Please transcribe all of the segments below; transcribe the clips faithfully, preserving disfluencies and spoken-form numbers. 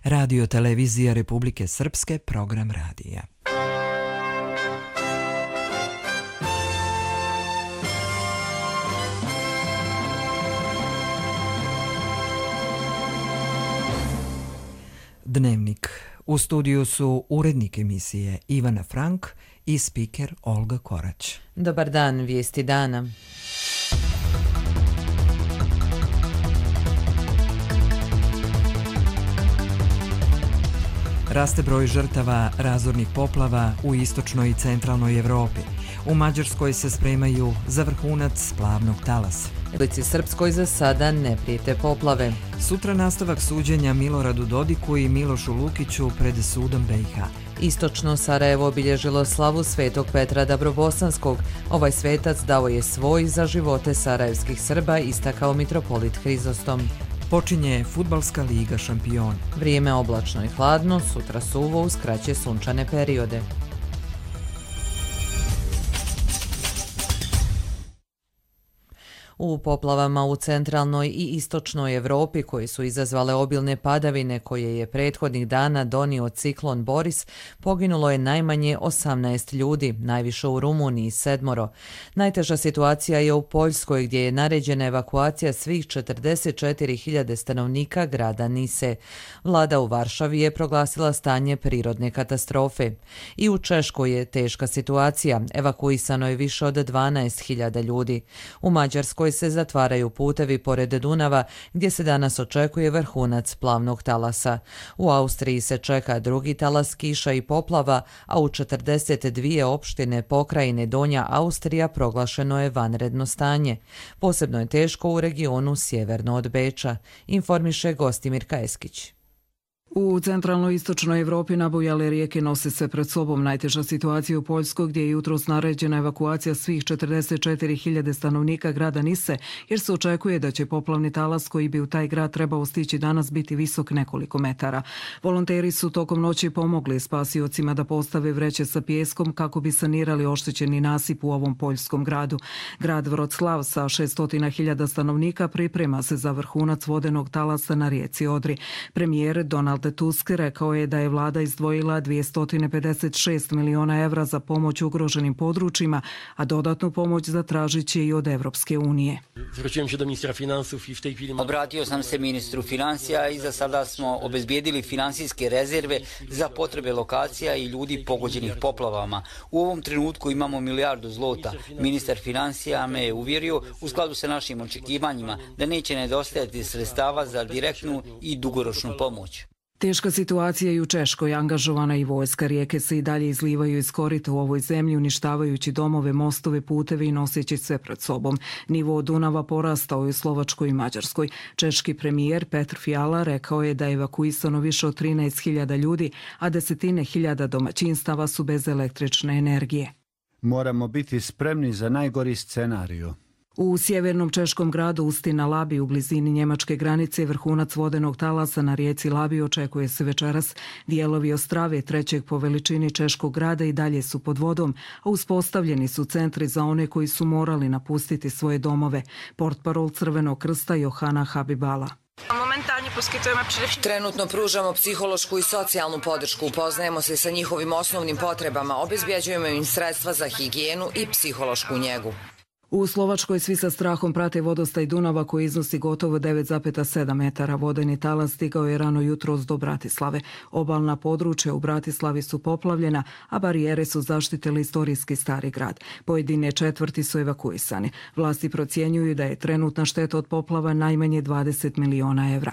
Radio Televizija Republike Srpske, program radija. Dnevnik. U studiju su urednik emisije Ivana Frank i spiker Olga Korać. Dobar dan, vijesti dana. Raste broj žrtava razornih poplava u istočnoj i centralnoj Evropi. U Mađarskoj se spremaju za vrhunac plavnog talasa. Republici Srpskoj za sada ne prijete poplave. Sutra nastavak suđenja Miloradu Dodiku i Milošu Lukiću pred sudom B i H. Istočno Sarajevo obilježilo slavu Svetog Petra Dabrobosanskog. Ovaj svetac dao je svoj za živote sarajevskih Srba, istakao mitropolit Hrizostom. Počinje Fudbalska liga šampiona. Vrijeme oblačno i hladno, sutra suvo uz kraće sunčane periode. U poplavama u centralnoj i istočnoj Evropi koji su izazvale obilne padavine koje je prethodnih dana donio ciklon Boris, poginulo je najmanje osamnaest ljudi, najviše u Rumuniji sedmoro. Najteža situacija je u Poljskoj gdje je naređena evakuacija svih četrdeset četiri hiljade stanovnika grada Nise. Vlada u Varšavi je proglasila stanje prirodne katastrofe. I u Češkoj je teška situacija, evakuisano je više od dvanaest hiljada ljudi. U Mađarskoj se zatvaraju putevi pored Dunava gdje se danas očekuje vrhunac plavnog talasa. U Austriji se čeka drugi talas kiša i poplava, a u četrdeset dvije opštine pokrajine Donja Austrija proglašeno je vanredno stanje. Posebno je teško u regionu sjeverno od Beča, informiše Gostimir Kajeskić. U centralnoj istočnoj Evropi nabujale rijeke nose se pred sobom. Najteža situacija u Poljskoj gdje je jutros naređena evakuacija svih četrdeset četiri hiljade stanovnika grada Nise, jer se očekuje da će poplavni talas koji bi u taj grad trebao stići danas biti visok nekoliko metara. Volonteri su tokom noći pomogli spasiocima da postave vreće sa pijeskom kako bi sanirali oštećeni nasip u ovom poljskom gradu. Grad Vroclav sa šessto hiljada stanovnika priprema se za vrhunac vodenog talasa na rijeci Odri. Premijer Donald Tusk rekao je da je vlada izdvojila dvjesto pedeset šest miliona evra za pomoć ugroženim područjima, a dodatnu pomoć zatražit će i od Evropske unije. Obratio sam se ministru financija i za sada smo obezbijedili finansijske rezerve za potrebe lokacija i ljudi pogođenih poplavama. U ovom trenutku imamo milijardu zlota. Ministar financija me je uvjerio u skladu sa našim očekivanjima da neće nedostajati sredstava za direktnu i dugoročnu pomoć. Teška situacija i u Češkoj, angažovana i vojska. Rijeke se i dalje izlivaju iz korita u ovoj zemlji, uništavajući domove, mostove, puteve i noseći sve pred sobom. Nivo Dunava porastao je u Slovačkoj i Mađarskoj. Češki premijer Petr Fiala rekao je da je evakuisano više od trinaest hiljada ljudi, a desetine hiljada domaćinstava su bez električne energije. Moramo biti spremni za najgori scenariju. U sjevernom češkom gradu Ustina Labi u blizini njemačke granice vrhunac vodenog talasa na rijeci Labi očekuje se večeras. Dijelovi Ostrave, trećeg po veličini češkog grada, i dalje su pod vodom, a uspostavljeni su centri za one koji su morali napustiti svoje domove. Portparol Crvenog krsta Johana Habibala. Trenutno pružamo psihološku i socijalnu podršku, upoznajemo se sa njihovim osnovnim potrebama, obezbjeđujemo im sredstva za higijenu i psihološku njegu. U Slovačkoj svi sa strahom prate vodostaj Dunava koji iznosi gotovo devet zarez sedam metara. Vodeni talas stigao je rano jutros do Bratislave. Obalna područja u Bratislavi su poplavljena, a barijere su zaštitili istorijski stari grad. Pojedine četvrti su evakuisani. Vlasti procjenjuju da je trenutna šteta od poplava najmanje dvadeset miliona evra.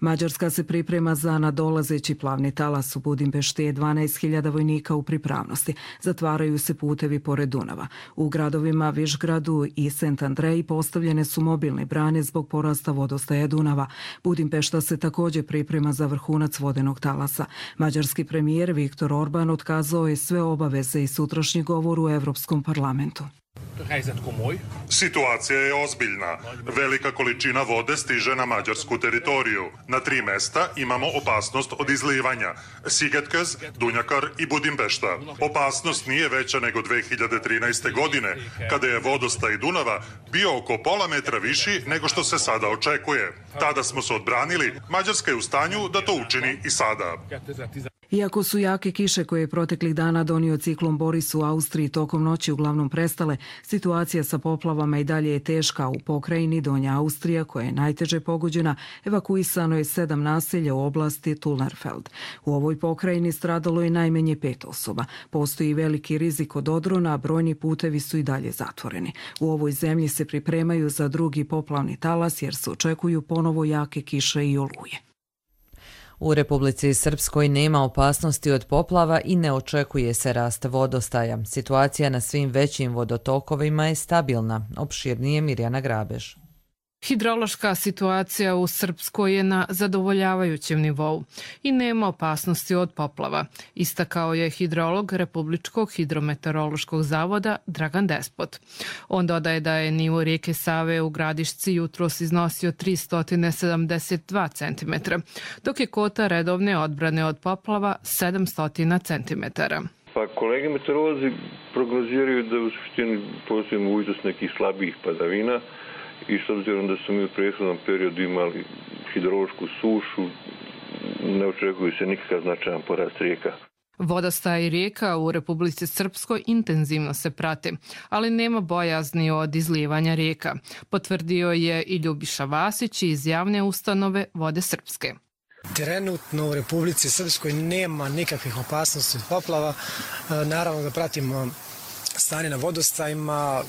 Mađarska se priprema za nadolazeći plavni talas. U Budimpešti je dvanaest hiljada vojnika u pripravnosti. Zatvaraju se putevi pored Dunava. U gradovima Višgradu i Sent Andreji postavljene su mobilne brane zbog porasta vodostaja Dunava. Budimpešta se također priprema za vrhunac vodenog talasa. Mađarski premijer Viktor Orban otkazao je sve obaveze i sutrašnji govor u Europskom parlamentu. Situacija je ozbiljna. Velika količina vode stiže na mađarsku teritoriju. Na tri mesta imamo opasnost od izlivanja. Sigetkez, Dunjakar i Budimpešta. Opasnost nije veća nego dve hiljade trinaeste. godine, kada je vodostaj Dunava bio oko pola metra viši nego što se sada očekuje. Tada smo se odbranili, Mađarska je u stanju da to učini i sada. Iako su jake kiše koje je proteklih dana donio ciklon Boris u Austriji tokom noći uglavnom prestale, situacija sa poplavama i dalje je teška. U pokrajini Donja Austrija, koja je najteže pogođena, evakuisano je sedam naselja u oblasti Tulnerfeld. U ovoj pokrajini stradalo je najmanje pet osoba. Postoji veliki rizik od odrona, a brojni putevi su i dalje zatvoreni. U ovoj zemlji se pripremaju za drugi poplavni talas jer se očekuju ponovo jake kiše i oluje. U Republici Srpskoj nema opasnosti od poplava i ne očekuje se rast vodostaja. Situacija na svim većim vodotokovima je stabilna, opširnije Mirjana Grabež. Hidrološka situacija u Srpskoj je na zadovoljavajućem nivou i nema opasnosti od poplava, istakao je hidrolog Republičkog hidrometeorološkog zavoda Dragan Despot. On dodaje da je nivo rijeke Save u Gradišci jutros iznosio tristo sedamdeset dva centimetra, dok je kota redovne odbrane od poplava sedamsto centimetara. Pa kolege meteorolozi prognoziraju da u suštini postoji mogućnost nekih slabijih padavina, i s obzirom da smo mi u prethodnom periodu imali hidrološku sušu, ne očekuju se nikakav značajan porast rijeka. Vodostaj rijeka u Republici Srpskoj intenzivno se prate, ali nema bojazni od izlijevanja rijeka, potvrdio je i Ljubiša Vasić iz javne ustanove Vode Srpske. Trenutno u Republici Srpskoj nema nikakvih opasnosti od poplava. Naravno da pratimo stanje na vodostajima.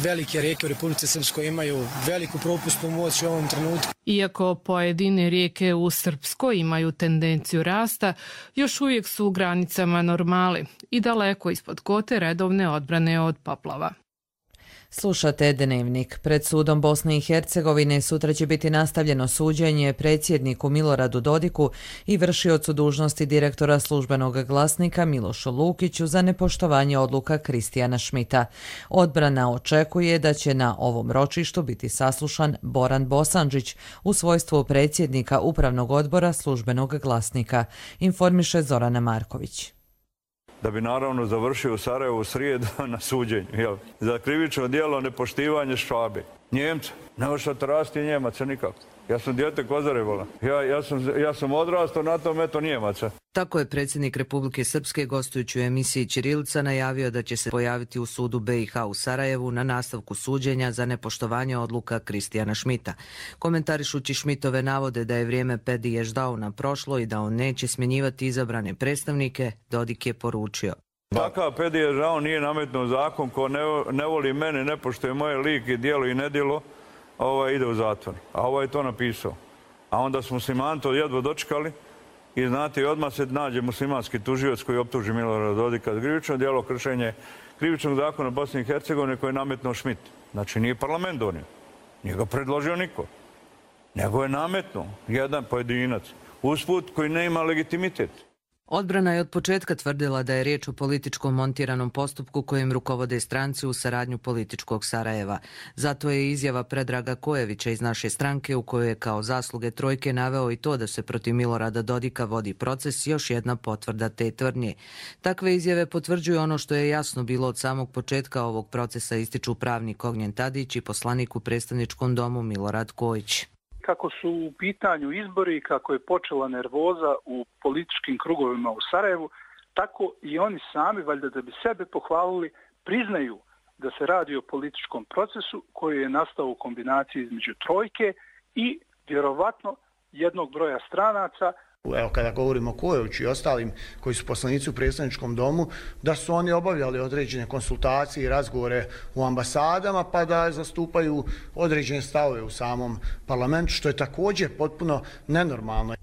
Velike rijeke u Republici Srpskoj imaju veliku propusnu moć u ovom trenutku. Iako pojedine rijeke u Srpskoj imaju tendenciju rasta, još uvijek su u granicama normale i daleko ispod kote redovne odbrane od poplava. Slušate Dnevnik. Pred sudom Bosne i Hercegovine sutra će biti nastavljeno suđenje predsjedniku Miloradu Dodiku i vršiocu dužnosti direktora Službenog glasnika Milošu Lukiću za nepoštovanje odluka Kristijana Šmita. Odbrana očekuje da će na ovom ročištu biti saslušan Boran Bosandžić u svojstvu predsjednika Upravnog odbora Službenog glasnika, informiše Zorana Marković. Da bi naravno završio u Sarajevu u srijedu na suđenju. Jel? Za krivično djelo nepoštivanje Švabe. Njemca. Ne možete rasti Njemaca nikako. Ja sam dijete Kozarevola. Ja, ja, sam, ja sam odrastao na tom eto Njemaca. Tako je predsjednik Republike Srpske gostujući u emisiji Ćirilica najavio da će se pojaviti u sudu be i ha u Sarajevu na nastavku suđenja za nepoštovanje odluka Kristijana Šmita. Komentarišući Šmitove navode da je vrijeme Pedi Ježdauna prošlo i da on neće smjenjivati izabrane predstavnike, Dodik je poručio. Takav Pedi Ježdaun nije nametnuo zakon ko ne, ne voli mene, ne poštuje moje lik i djelo i nedjelo, ovaj ide u zatvor. A ovaj je to napisao. A onda smo muslimani to jedva dočekali i znate, odmah se nađe muslimanski tužioc koji optuži Milorada Dodika za krivično djelo, kršenje krivičnog zakona Bosne i Hercegovine koji je nametnuo Šmit. Znači nije parlament donio. Nije ga predložio niko. Nego je nametnuo jedan pojedinac. Usput koji ne ima legitimitet. Odbrana je od početka tvrdila da je riječ o političkom montiranom postupku kojem rukovode stranci u saradnju političkog Sarajeva. Zato je izjava Predraga Kojevića iz naše stranke u kojoj je kao zasluge trojke naveo i to da se protiv Milorada Dodika vodi proces još jedna potvrda te tvrdnje. Takve izjave potvrđuju ono što je jasno bilo od samog početka ovog procesa, ističu pravnik Ognjen Tadić i poslanik u predstavničkom domu Milorad Kojić. Kako su u pitanju izbori i kako je počela nervoza u političkim krugovima u Sarajevu, tako i oni sami, valjda da bi sebe pohvalili, priznaju da se radi o političkom procesu koji je nastao u kombinaciji između trojke i vjerovatno jednog broja stranaca. Evo, kada govorimo o Kojoviću i ostalim koji su poslanici u predstavničkom domu, da su oni obavljali određene konsultacije i razgovore u ambasadama, pa da zastupaju određene stavove u samom parlamentu, što je također potpuno nenormalno.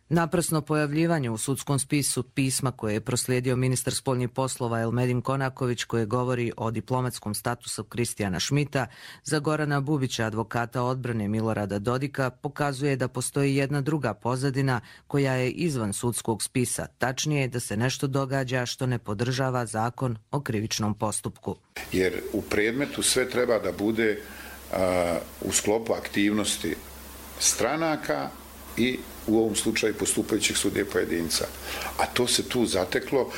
Naprasno pojavljivanje u sudskom spisu pisma koje je proslijedio ministar spoljnih poslova Elmedin Konaković, koje govori o diplomatskom statusu Kristijana Šmita, za Gorana Bubića, advokata odbrane Milorada Dodika, pokazuje da postoji jedna druga pozadina koja je izvan sudskog spisa, tačnije da se nešto događa što ne podržava zakon o krivičnom postupku. Jer u predmetu sve treba da bude a, u sklopu aktivnosti stranaka i u ovom slučaju postupajućih sudija pojedinca. A to se tu zateklo,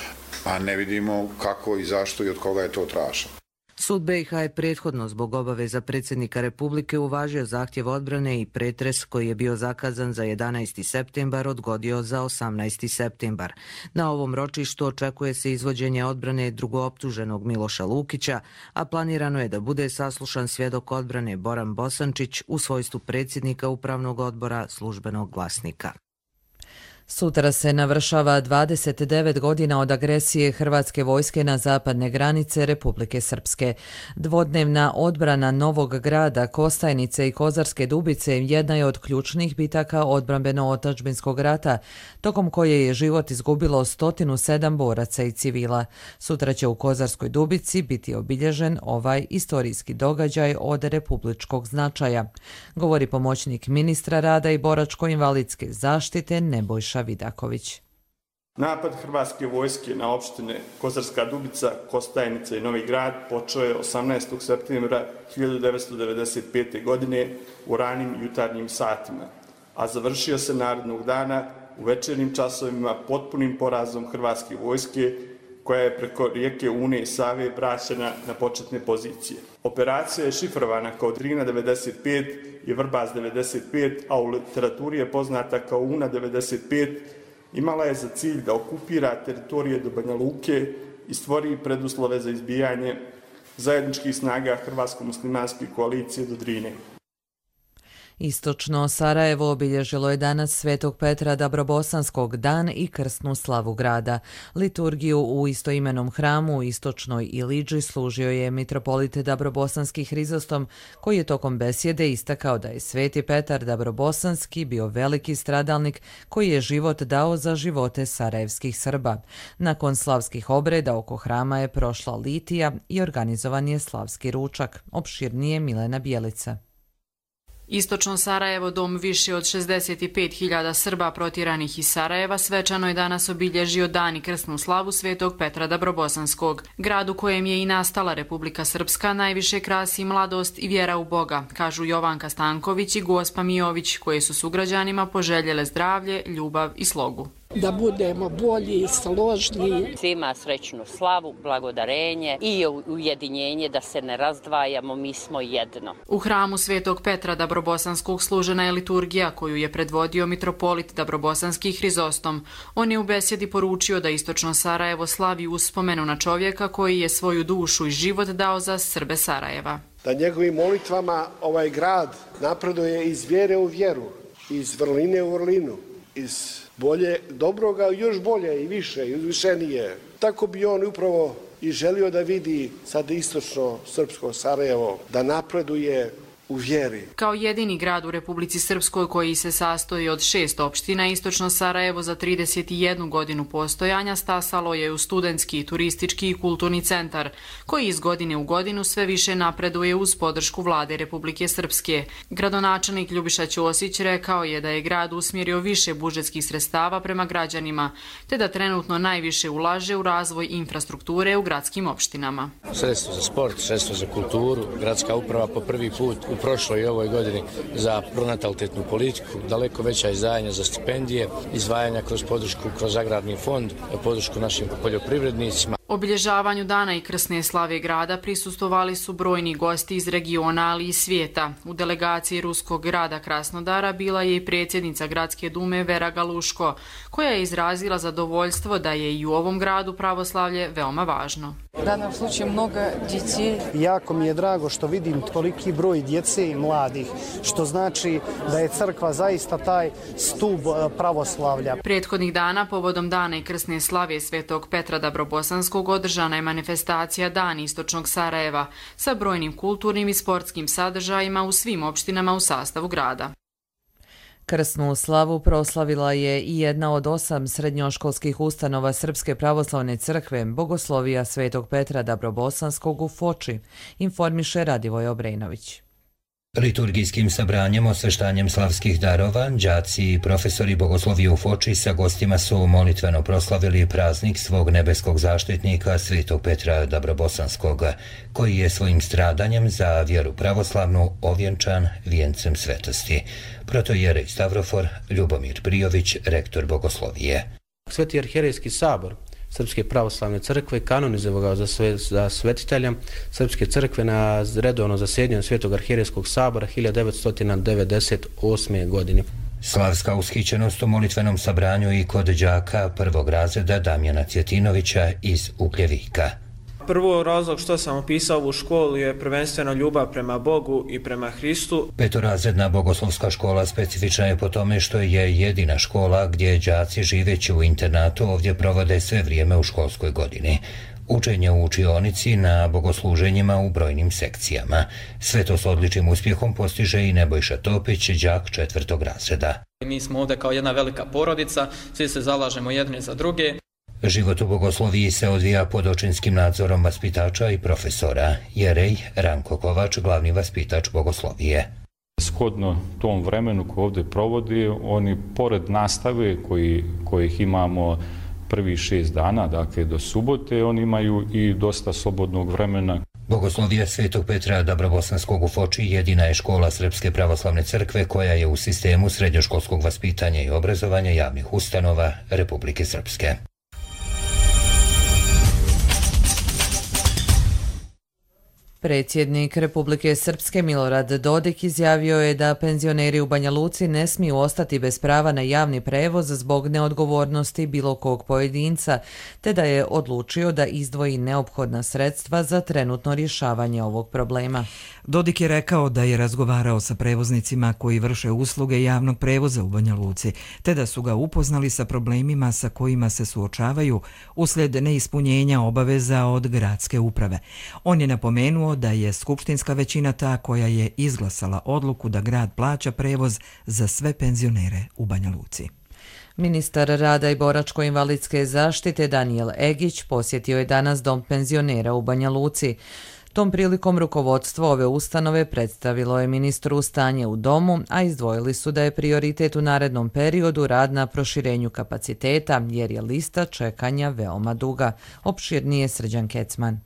a ne vidimo kako i zašto i od koga je to traženo. Sud be i ha je prethodno zbog obaveza predsjednika Republike uvažio zahtjev odbrane i pretres koji je bio zakazan za jedanaesti septembar odgodio za osamnaesti septembar. Na ovom ročištu očekuje se izvođenje odbrane drugooptuženog Miloša Lukića, a planirano je da bude saslušan svjedok odbrane Boran Bosančić u svojstvu predsjednika Upravnog odbora Službenog glasnika. Sutra se navršava dvadeset devet godina od agresije hrvatske vojske na zapadne granice Republike Srpske. Dvodnevna odbrana Novog Grada, Kostajnice i Kozarske Dubice jedna je od ključnih bitaka odbrambeno-otadžbinskog rata, tokom koje je život izgubilo sto sedam boraca i civila. Sutra će u Kozarskoj Dubici biti obilježen ovaj istorijski događaj od republičkog značaja, govori pomoćnik ministra rada i boračko-invalidske zaštite Nebojša Vidaković. Napad hrvatske vojske na opštine Kozarska Dubica, Kostajnica i Novi Grad počeo je osamnaestog septembra hiljadu devetsto devedeset pete. godine u ranim jutarnjim satima, a završio se narednog dana u večernjim časovima potpunim porazom hrvatske vojske koja je preko rijeke Une i Save vraćena na početne pozicije. Operacija je šifrovana kao Drina devedeset pet i Vrbas devedeset pet, a u literaturi je poznata kao Una devedeset pet, imala je za cilj da okupira teritorije do Banja Luke i stvori preduslove za izbijanje zajedničkih snaga Hrvatsko-muslimanske koalicije do Drine. Istočno Sarajevo obilježilo je danas Svetog Petra Dabrobosanskog dan i krsnu slavu grada. Liturgiju u istoimenom hramu u Istočnoj Ilidži služio je mitropolit Dabrobosanski Hrizostom, koji je tokom besjede istakao da je Sveti Petar Dabrobosanski bio veliki stradalnik koji je život dao za živote sarajevskih Srba. Nakon slavskih obreda oko hrama je prošla litija i organizovan je slavski ručak. Opširnije Milena Bjelica. Istočno Sarajevo, dom više od šezdeset pet hiljada Srba protjeranih iz Sarajeva, svečano je danas obilježio dan i krsnu slavu Svetog Petra Dabrobosanskog. Grad u kojem je i nastala Republika Srpska najviše krasi mladost i vjera u Boga, kažu Jovanka Stanković i Gospa Mijović, koje su sugrađanima poželjele zdravlje, ljubav i slogu. Da budemo bolji i složni. Svima srećnu slavu, blagodarenje i ujedinjenje, da se ne razdvajamo, mi smo jedno. U hramu Svetog Petra Dabrobosanskog služena je liturgija koju je predvodio mitropolit Dabrobosanski Hrizostom. On je u besjedi poručio da Istočno Sarajevo slavi uspomenu na čovjeka koji je svoju dušu i život dao za Srbe Sarajeva. Da njegovim molitvama ovaj grad napreduje iz vjere u vjeru, iz vrline u vrlinu, iz bolje, dobroga, još bolje i više i uzvišenije. Tako bi on upravo i želio da vidi sad istočno srpsko Sarajevo, da napreduje u vjeri. Kao jedini grad u Republici Srpskoj koji se sastoji od šest opština, Istočno Sarajevo za trideset jednu godinu postojanja stasalo je u studentski, turistički i kulturni centar, koji iz godine u godinu sve više napreduje uz podršku vlade Republike Srpske. Gradonačelnik Ljubiša Ćosić rekao je da je grad usmjerio više budžetskih sredstava prema građanima, te da trenutno najviše ulaže u razvoj infrastrukture u gradskim opštinama. Sredstvo za sport, sredstvo za kulturu, gradska uprava po prvi put u prošloj i ovoj godini za pronatalitetnu politiku, daleko veća izdvajanja za stipendije, izdvajanja kroz podršku, kroz agrarni fond, podršku našim poljoprivrednicima. Obilježavanju dana i krsne slave grada prisustvovali su brojni gosti iz regiona, ali i svijeta. U delegaciji ruskog grada Krasnodara bila je i predsjednica Gradske dume Vera Galuško, koja je izrazila zadovoljstvo da je i u ovom gradu pravoslavlje veoma važno. U danom slučaju mnogo djece. Jako mi je drago što vidim toliki broj djece i mladih, što znači da je crkva zaista taj stub pravoslavlja. Prethodnih dana povodom dana i krsne slave Svetog Petra Dabrobosanskog održana je manifestacija Dan Istočnog Sarajeva sa brojnim kulturnim i sportskim sadržajima u svim opštinama u sastavu grada. Krsnu slavu proslavila je i jedna od osam srednjoškolskih ustanova Srpske pravoslavne crkve, Bogoslovija Svetog Petra Dabrobosanskog u Foči, informiše Radivoj Obrenović. Liturgijskim sabranjem, osveštanjem slavskih darova, đaci i profesori Bogoslovije u Foči sa gostima su molitveno proslavili praznik svog nebeskog zaštitnika Svetog Petra Dabrobosanskog, koji je svojim stradanjem za vjeru pravoslavnu ovjenčan vijencem svetosti. Protojerej Stavrofor Ljubomir Prijović, rektor Bogoslovije. Sveti arhijerejski sabor Srpske pravoslavne crkve kanonizovao ga za, sve, za svetitelja Srpske crkve na redovno zasjedanju Svetog arhijerejskog sabora hiljadu devetsto devedeset osme. godine. Slavska ushićenost u molitvenom sabranju i kod đaka prvog razreda Damjana Cjetinovića iz Ugljevika. Prvo razlog što sam opisao u školu je prvenstveno ljubav prema Bogu i prema Hristu. Petorazredna bogoslovska škola specifična je po tome što je jedina škola gdje đaci živeći u internatu ovdje provode sve vrijeme u školskoj godini. Učenje u učionici na bogosluženjima u brojnim sekcijama. Sve to s odličnim uspjehom postiže i Nebojša Topić, đak četvrtog razreda. Mi smo ovdje kao jedna velika porodica, svi se zalažemo jedni za druge. Život u Bogosloviji se odvija pod očinskim nadzorom vaspitača i profesora. Jerej Ranko Kovač, glavni vaspitač Bogoslovije. Shodno tom vremenu koje ovdje provodi, oni pored nastave koji, kojih imamo prvi šest dana, dakle do subote, oni imaju i dosta slobodnog vremena. Bogoslovija Svetog Petra Dabrobosanskog u Foči jedina je škola Srpske pravoslavne crkve koja je u sistemu srednjoškolskog vaspitanja i obrazovanja javnih ustanova Republike Srpske. Predsjednik Republike Srpske Milorad Dodik izjavio je da penzioneri u Banja Luci ne smiju ostati bez prava na javni prevoz zbog neodgovornosti bilo kog pojedinca, te da je odlučio da izdvoji neophodna sredstva za trenutno rješavanje ovog problema. Dodik je rekao da je razgovarao sa prevoznicima koji vrše usluge javnog prevoza u Banja Luci, te da su ga upoznali sa problemima sa kojima se suočavaju uslijed neispunjenja obaveza od gradske uprave. On je napomenuo da je skupštinska većina ta koja je izglasala odluku da grad plaća prevoz za sve penzionere u Banja Luci. Ministar rada i boračko-invalidske zaštite Danijel Egić posjetio je danas dom penzionera u Banja Luci. Tom prilikom rukovodstvo ove ustanove predstavilo je ministru stanje u domu, a izdvojili su da je prioritet u narednom periodu rad na proširenju kapaciteta, jer je lista čekanja veoma duga. Opširnije Srđan Kecman.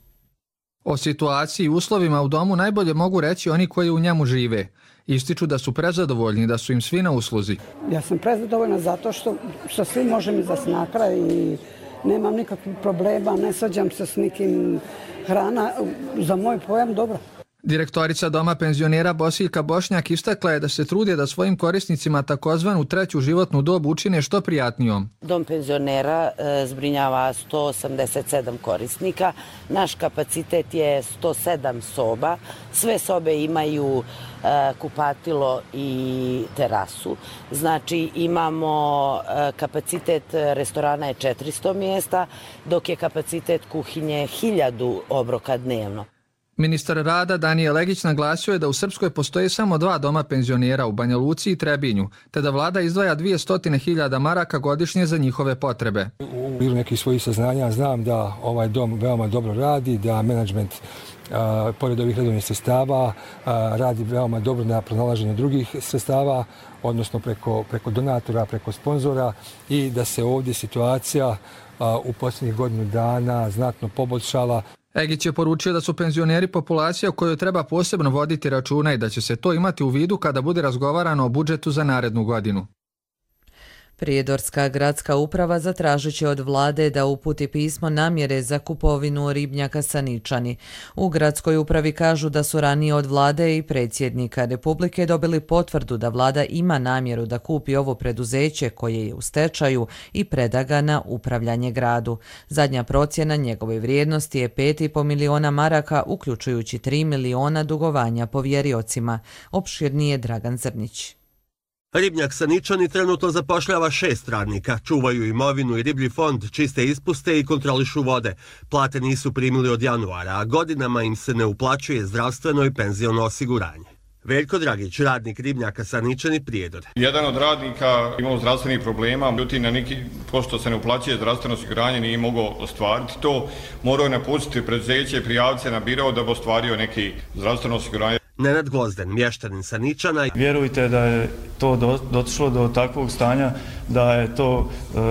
O situaciji i uslovima u domu najbolje mogu reći oni koji u njemu žive. Ističu da su prezadovoljni, da su im svi na usluzi. Ja sam prezadovoljna zato što, što svi može mi zas na kraj i nemam nikakvih problema, ne svađam se s nikim, hrana za moj pojam dobro. Direktorica Doma penzionera Bosiljka Bošnjak istakla je da se trudi da svojim korisnicima takozvanu treću životnu dobu učine što prijatnijom. Dom penzionera e, zbrinjava sto osamdeset sedam korisnika. Naš kapacitet je sto sedam soba. Sve sobe imaju e, kupatilo i terasu. Znači imamo e, kapacitet restorana je četiristo mjesta, dok je kapacitet kuhinje hiljadu obroka dnevno. Ministar rada Danijel Egić naglasio je da u Srpskoj postoji samo dva doma penzionera u Banja Luci i Trebinju, te da vlada izdvaja dvjesto hiljada maraka godišnje za njihove potrebe. U bilo nekih svojih saznanja znam da ovaj dom veoma dobro radi, da menadžment a, pored ovih redovnih sredstava a, radi veoma dobro na pronalaženju drugih sredstava, odnosno preko, preko donatora, preko sponzora, i da se ovdje situacija a, u posljednjih godinu dana znatno poboljšala. Egić je poručio da su penzioneri populacija o kojoj treba posebno voditi računa i da će se to imati u vidu kada bude razgovarano o budžetu za narednu godinu. Prijedorska gradska uprava zatražit će od vlade da uputi pismo namjere za kupovinu ribnjaka Saničani. U gradskoj upravi kažu da su ranije od vlade i predsjednika Republike dobili potvrdu da vlada ima namjeru da kupi ovo preduzeće koje je u stečaju i preda ga na upravljanje gradu. Zadnja procjena njegove vrijednosti je pet i po miliona maraka, uključujući tri miliona dugovanja povjeriocima. Opširnije Dragan Zrnić. Ribnjak Saničani trenutno zapošljava šest radnika, čuvaju imovinu i riblji fond, čiste ispuste i kontrolišu vode. Plate nisu primili od januara, a godinama im se ne uplaćuje zdravstveno i penziono osiguranje. Veljko Dragić, radnik ribnjaka Saničani, Prijedor. Jedan od radnika imao zdravstvenih problema, međutim na neki pošto se ne uplaćuje zdravstveno osiguranje nije mogao ostvariti to, morao je napustiti preduzeće i prijaviti se na biro da bi ostvario neki zdravstveno osiguranje. Nenad Gvozden, mještanin Saničana. Vjerujte da je to došlo do takvog stanja, da je to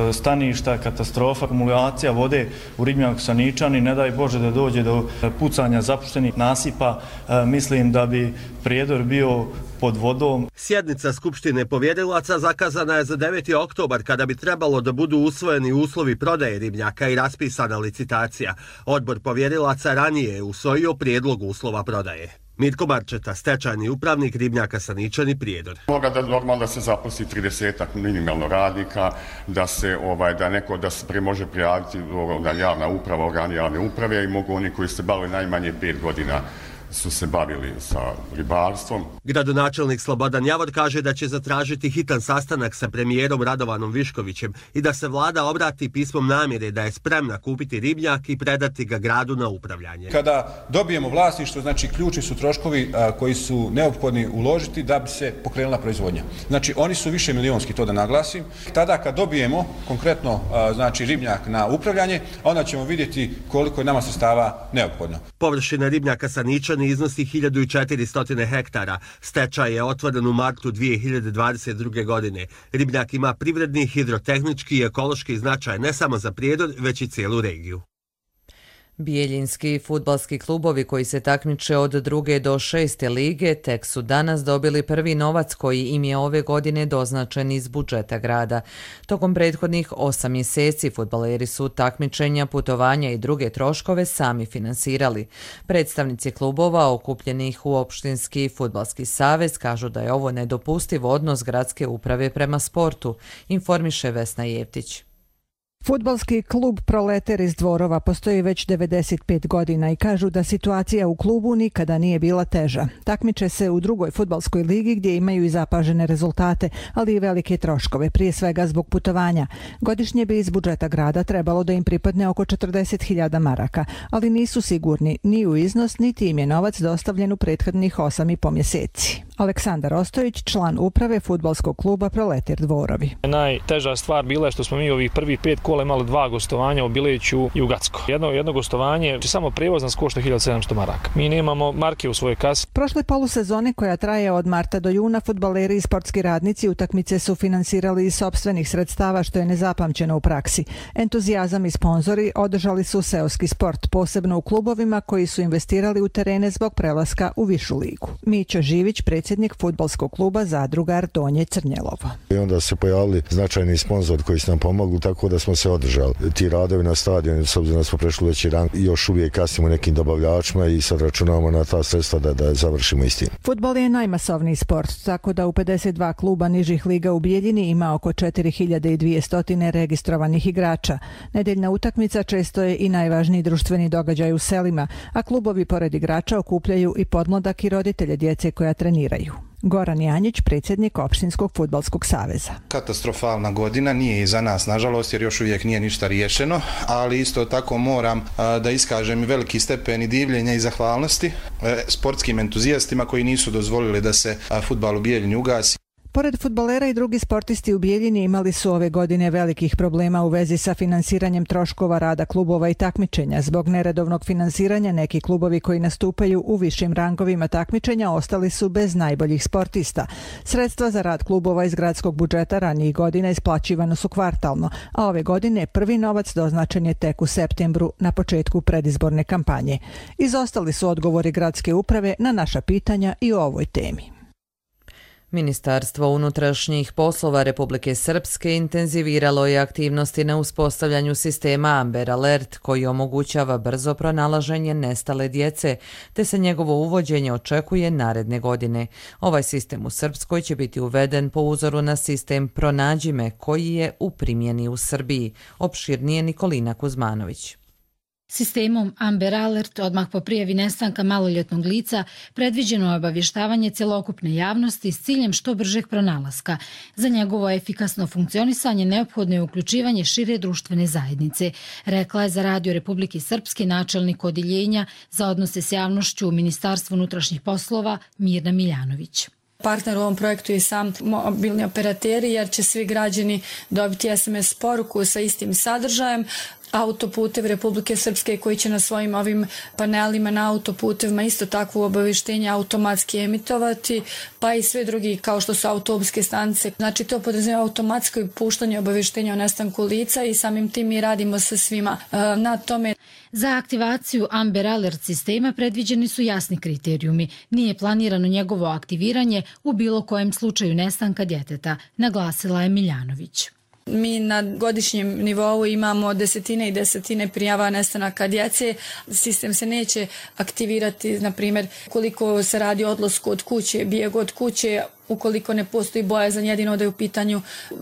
e, staništa, katastrofa, akumulacija vode u ribnjaku Saničani, ne daj Bože da dođe do pucanja zapuštenih nasipa, e, mislim da bi Prijedor bio pod vodom. Sjednica Skupštine povjerilaca zakazana je za deveti oktobar kada bi trebalo da budu usvojeni uslovi prodaje ribnjaka i raspisana licitacija. Odbor povjerilaca ranije je usvojio prijedlog uslova prodaje. Mirko Marčeta, stečajni upravnik ribnjaka Saničani, Prijedor. Moga da normalno da se zaposli tridesetak minimalno radnika, da se ovaj da neko da se pre može prijaviti da javna uprava, organi javne uprave i mogu oni koji se bave najmanje pet godina su se bavili sa ribarstvom. Gradonačelnik Slobodan Javor kaže da će zatražiti hitan sastanak sa premijerom Radovanom Viškovićem i da se vlada obrati pismom namjere da je spremna kupiti ribnjak i predati ga gradu na upravljanje. Kada dobijemo vlasništvo, znači ključni su troškovi a, koji su neophodni uložiti da bi se pokrenula proizvodnja. Znači oni su više milionski, to da naglasim. Tada kad dobijemo konkretno a, znači ribnjak na upravljanje, onda ćemo vidjeti koliko je nama sredstava neophodno. Površina ribnjaka Saničani iznosi hiljadu četiristo hektara. Stečaj je otvoren u martu dvije hiljade dvadeset druge. godine. Ribnjak ima privredni, hidrotehnički i ekološki značaj ne samo za Prijedor, već i cijelu regiju. Bijeljinski fudbalski klubovi koji se takmiče od druge do šeste lige tek su danas dobili prvi novac koji im je ove godine doznačen iz budžeta grada. Tokom prethodnih osam mjeseci fudbaleri su takmičenja, putovanja i druge troškove sami finansirali. Predstavnici klubova okupljenih u Opštinski fudbalski savez kažu da je ovo nedopustiv odnos gradske uprave prema sportu, informiše Vesna Jevtić. Fudbalski klub Proleter iz Dvorova postoji već devedeset pet godina i kažu da situacija u klubu nikada nije bila teža. Takmiče se u drugoj fudbalskoj ligi gdje imaju i zapažene rezultate, ali i velike troškove, prije svega zbog putovanja. Godišnje bi iz budžeta grada trebalo da im pripadne oko četrdeset hiljada maraka, ali nisu sigurni ni u iznos, niti im je novac dostavljen u prethodnih osam i po mjeseci. Aleksandar Ostojić, član uprave fudbalskog kluba Proleter Dvorovi. Najteža stvar bila je što smo mi ovih prvih pet kola imali dva gostovanja u Bileću i u Gacko. Jedno, jedno gostovanje, samo prijevoz nas košta hiljadu sedamsto maraka. Mi nemamo marke u svojoj kasi. Prošle polusezone koja traje od marta do juna, fudbaleri i sportski radnici utakmice su finansirali iz sopstvenih sredstava, što je nezapamćeno u praksi. Entuzijazam i sponzori održali su seoski sport, posebno u klubovima koji su investirali u terene zbog prelaska u višu ligu. Mićo Živić, predsjednik fudbalskog kluba Zadrugar Donje Crnjelovo. I onda se pojavili značajni sponzor koji su nam pomogli, tako da smo se održali. Ti radovi na stadionu, s obzirom da smo prešli veći rang, još uvijek kasnimo nekim dobavljačima i sad računamo na ta sredstva da, da završimo istim. Fudbal je najmasovniji sport, tako da u pedeset dva kluba nižih liga u Bijeljini ima oko četiri hiljade dvjesto registrovanih igrača. Nedeljna utakmica često je i najvažniji društveni događaj u selima, a klubovi pored igrača okupljaju i podmladak i roditelje djece koja treniraju. Goran Janjić, predsjednik Opštinskog fudbalskog saveza. Katastrofalna godina nije iza nas, nažalost, jer još uvijek nije ništa riješeno, ali isto tako moram a, da iskažem veliki stepen i divljenja i zahvalnosti e, sportskim entuzijastima koji nisu dozvolili da se a, fudbal u Bijeljini ugasi. Pored fudbalera i drugi sportisti u Bijeljini imali su ove godine velikih problema u vezi sa finansiranjem troškova rada klubova i takmičenja. Zbog neredovnog finansiranja neki klubovi koji nastupaju u višim rangovima takmičenja ostali su bez najboljih sportista. Sredstva za rad klubova iz gradskog budžeta ranijih godina isplaćivano su kvartalno, a ove godine prvi novac doznačen je tek u septembru na početku predizborne kampanje. Izostali su odgovori gradske uprave na naša pitanja i o ovoj temi. Ministarstvo unutrašnjih poslova Republike Srpske intenziviralo je aktivnosti na uspostavljanju sistema Amber Alert koji omogućava brzo pronalaženje nestale djece, te se njegovo uvođenje očekuje naredne godine. Ovaj sistem u Srpskoj će biti uveden po uzoru na sistem Pronađi me koji je u primjeni u Srbiji. Opširnije Nikolina Kuzmanović. Sistemom Amber Alert odmah po prijavi nestanka maloljetnog lica predviđeno je obavještavanje cjelokupne javnosti s ciljem što bržeg pronalaska. Za njegovo efikasno funkcionisanje neophodno je uključivanje šire društvene zajednice, rekla je za Radio Republike Srpske načelnik odjeljenja za odnose s javnošću u Ministarstvu unutrašnjih poslova Mirna Miljanović. Partner u ovom projektu je sam mobilni operateri jer će svi građani dobiti es em es poruku sa istim sadržajem. Autoputev Republike Srpske koji će na svojim ovim panelima na autoputevima isto takvo obavještenje automatski emitovati, pa i sve drugi kao što su autobuske stanice. Znači to podrazumijeva automatsko puštanje obavještenja o nestanku lica i samim tim mi radimo sa svima na tome. Za aktivaciju Amber Alert sistema predviđeni su jasni kriterijumi. Nije planirano njegovo aktiviranje u bilo kojem slučaju nestanka djeteta, naglasila je Miljanović. Mi na godišnjem nivou imamo desetine i desetine prijava nestanaka djece. Sistem se neće aktivirati, na primjer, koliko se radi o odlasku od kuće, bijeg od kuće, ukoliko ne postoji bojazan jedino da je u pitanju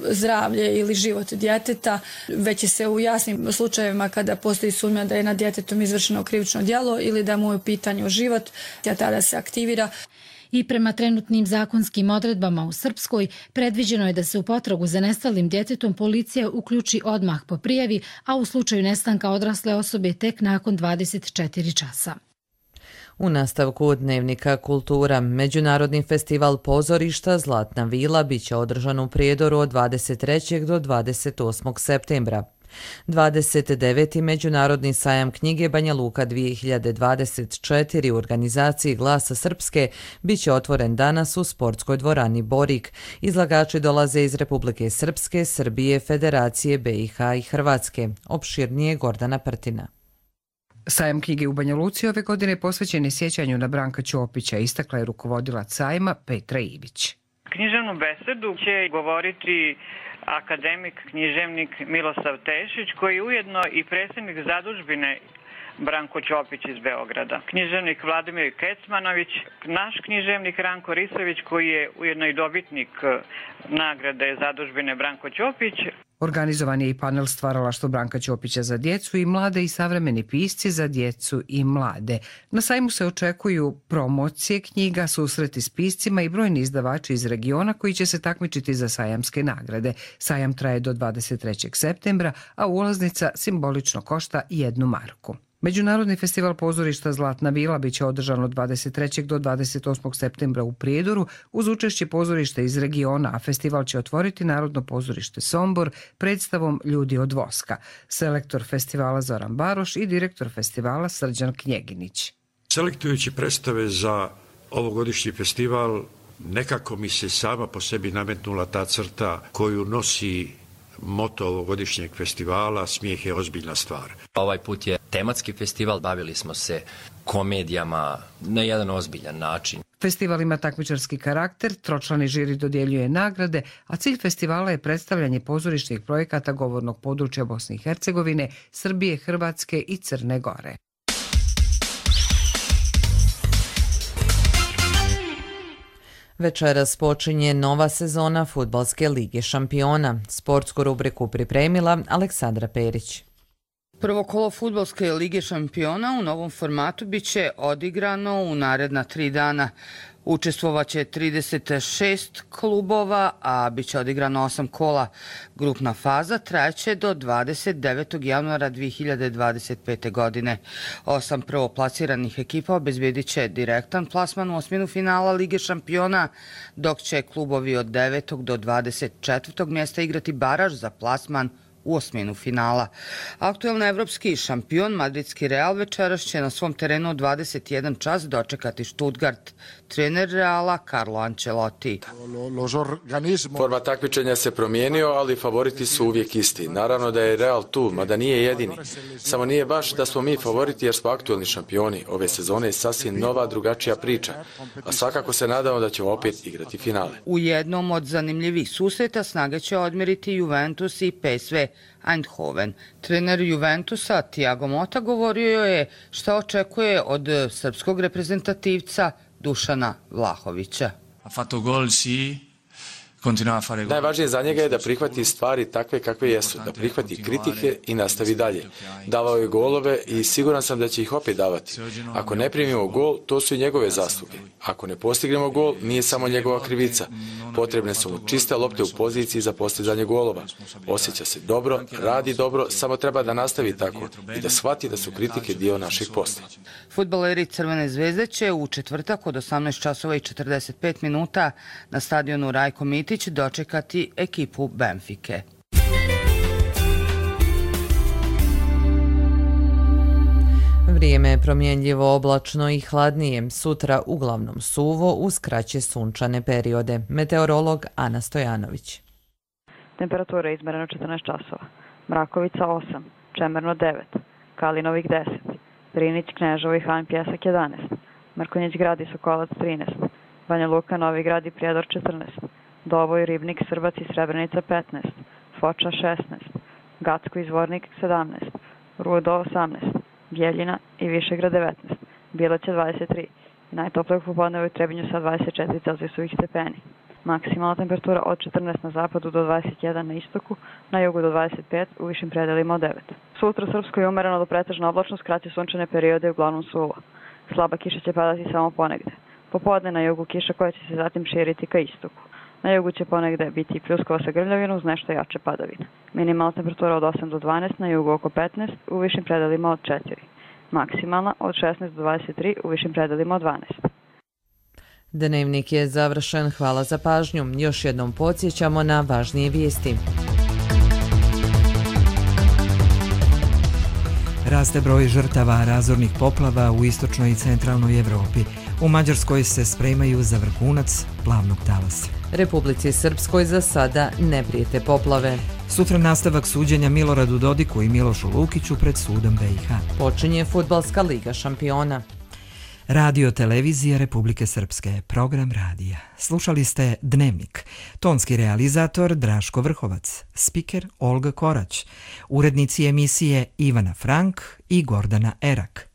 zdravlje ili život djeteta, već će se u jasnim slučajevima kada postoji sumnja da je nad djetetom izvršeno krivično djelo ili da mu je u pitanju život, tada se aktivira. I prema trenutnim zakonskim odredbama u Srpskoj predviđeno je da se u potragu za nestalim djetetom policija uključi odmah po prijavi, a u slučaju nestanka odrasle osobe tek nakon dvadeset četiri časa. U nastavku Dnevnika kultura, Međunarodni festival pozorišta Zlatna vila biće održan u Prijedoru od dvadeset trećeg do dvadeset osmog septembra. dvadeset deveti Međunarodni sajam knjige Banja Luka dvije hiljade dvadeset četiri u organizaciji Glasa Srpske biće otvoren danas u sportskoj dvorani Borik. Izlagači dolaze iz Republike Srpske, Srbije, Federacije be i ha i Hrvatske. Opširnije Gordana Prtina. Sajam knjige u Banja Luci ove godine posvećen je sjećanju na Branka Ćopića, istakla je rukovodilac sajma Petra Ivić. Književnu besedu će govoriti akademik, književnik Milosav Tešić, koji je ujedno i predsjednik zadužbine Branko Ćopić iz Beograda. Književnik Vladimir Kecmanović, naš književnik Ranko Risović, koji je ujedno i dobitnik nagrade zadužbine Branko Ćopić. Organizovan je i panel Stvaralaštvo Branka Ćopića za djecu i mlade i savremeni pisci za djecu i mlade. Na sajmu se očekuju promocije knjiga, susreti s piscima i brojni izdavači iz regiona koji će se takmičiti za sajamske nagrade. Sajam traje do dvadeset trećeg septembra, a ulaznica simbolično košta jednu marku. Međunarodni festival pozorišta Zlatna vila biće održan od dvadeset trećeg do dvadeset osmog septembra u Prijedoru uz učešće pozorišta iz regiona, a festival će otvoriti Narodno pozorište Sombor predstavom Ljudi od voska. Selektor festivala Zoran Baroš i direktor festivala Srđan Knjeginić. Selektujući predstave za ovogodišnji festival, nekako mi se sama po sebi nametnula ta crta koju nosi moto ovogodišnjeg festivala, smijeh je ozbiljna stvar. Ovaj put je tematski festival, bavili smo se komedijama na jedan ozbiljan način. Festival ima takmičarski karakter, tročlani žiri dodjeljuje nagrade, a cilj festivala je predstavljanje pozorišnih projekata govornog područja Bosne i Hercegovine, Srbije, Hrvatske i Crne Gore. Večeras počinje nova sezona Fudbalske lige šampiona. Sportsku rubriku pripremila Aleksandra Perić. Prvo kolo Fudbalske lige šampiona u novom formatu biće odigrano u naredna tri dana. Učestvovaće trideset šest klubova, a bit će odigrano osam kola. Grupna faza trajeće do dvadeset devetog januara dvije hiljade dvadeset pete. godine. Osam prvoplasiranih ekipa obezbedit će direktan plasman u osminu finala Lige šampiona, dok će klubovi od devetog do dvadeset četvrtog mjesta igrati baraž za plasman u osminu finala. Aktuelni evropski šampion madridski Real večeras će na svom terenu od dvadeset jedan čas dočekati Stuttgart. Trener Reala Carlo Ancelotti. Format takmičenja se promijenio, ali favoriti su uvijek isti. Naravno da je Real tu, mada nije jedini. Samo nije baš da smo mi favoriti jer smo aktuelni šampioni. Ove sezone je sasvim nova, drugačija priča. A svakako se nadamo da ćemo opet igrati finale. U jednom od zanimljivih susreta snage će odmeriti Juventus i P S V Eindhoven. Trener Juventusa Thiago Motta govorio je šta očekuje od srpskog reprezentativca Dušana Vlahovića. Ha fatto gol, sì. Najvažnije za njega je da prihvati stvari takve kakve jesu, da prihvati kritike i nastavi dalje. Davao je golove i siguran sam da će ih opet davati. Ako ne primimo gol, to su i njegove zasluge. Ako ne postignemo gol, nije samo njegova krivica. Potrebne su mu čiste lopte u poziciji za postizanje golova. Osjeća se dobro, radi dobro, samo treba da nastavi tako i da shvati da su kritike dio našeg posla. Fudbaleri Crvene zvezde će u četvrtak od osamnaest časova i četrdeset pet minuta na stadionu Rajko Mitić dočekati ekipu Benfike. Vrijeme je promjenljivo, oblačno i hladnije. Sutra uglavnom suvo uz kraće sunčane periode. Meteorolog Ana Stojanović. Temperatura je izmerena četrnaest časova. Mrakovica osam, Čemerno devet, Kalinovik deset, Drinić, Kneževo i Han Pjesak jedanaest, Mrkonjić Grad i Sokolac trinaest, Banja Luka, Novi Grad i Prijedor četrnaest, Doboj, Ribnik, Srbac i Srebrenica petnaest, Foča šesnaest, Gacko i Zvornik sedamnaest, Rudo osamnaest, Bjeljina i Višegrad devetnaest, Bilaća dvadeset tri i najtoplije popodne u Trebinju sa dvadeset četiri Celzijusovih stepeni. Maksimalna temperatura od četrnaest na zapadu do dvadeset jedan na istoku, na jugu do dvadeset pet, u višim predelima od devet. Sutra u Srpskoj je umereno do pretežno oblačno, s kraće sunčane periode uglavnom suvo. Slaba kiša će padati samo ponegde. Popodne na jugu kiša koja će se zatim širiti ka istoku. Na jugu će ponegde biti pljuskova sa grmljavinu uz nešto jače padavine. Minimalna temperatura od osam do dvanaest, na jugu oko petnaest, u višim predelima od četiri. Maksimalna od šesnaest do dvadeset tri, u višim predelima od dvanaest. Dnevnik je završen. Hvala za pažnju. Još jednom podsjećamo na važnije vijesti. Raste broj žrtava razornih poplava u istočnoj i centralnoj Evropi. U Mađarskoj se spremaju za vrhunac plavnog talasa. Republici Srpskoj za sada ne prijete poplave. Sutra nastavak suđenja Miloradu Dodiku i Milošu Lukiću pred sudom B i H. Počinje Fudbalska liga šampiona. Radio Televizija Republike Srpske, program radija. Slušali ste Dnevnik. Tonski realizator Draško Vrhovac, spiker Olga Korać, urednici emisije Ivana Frank i Gordana Erak.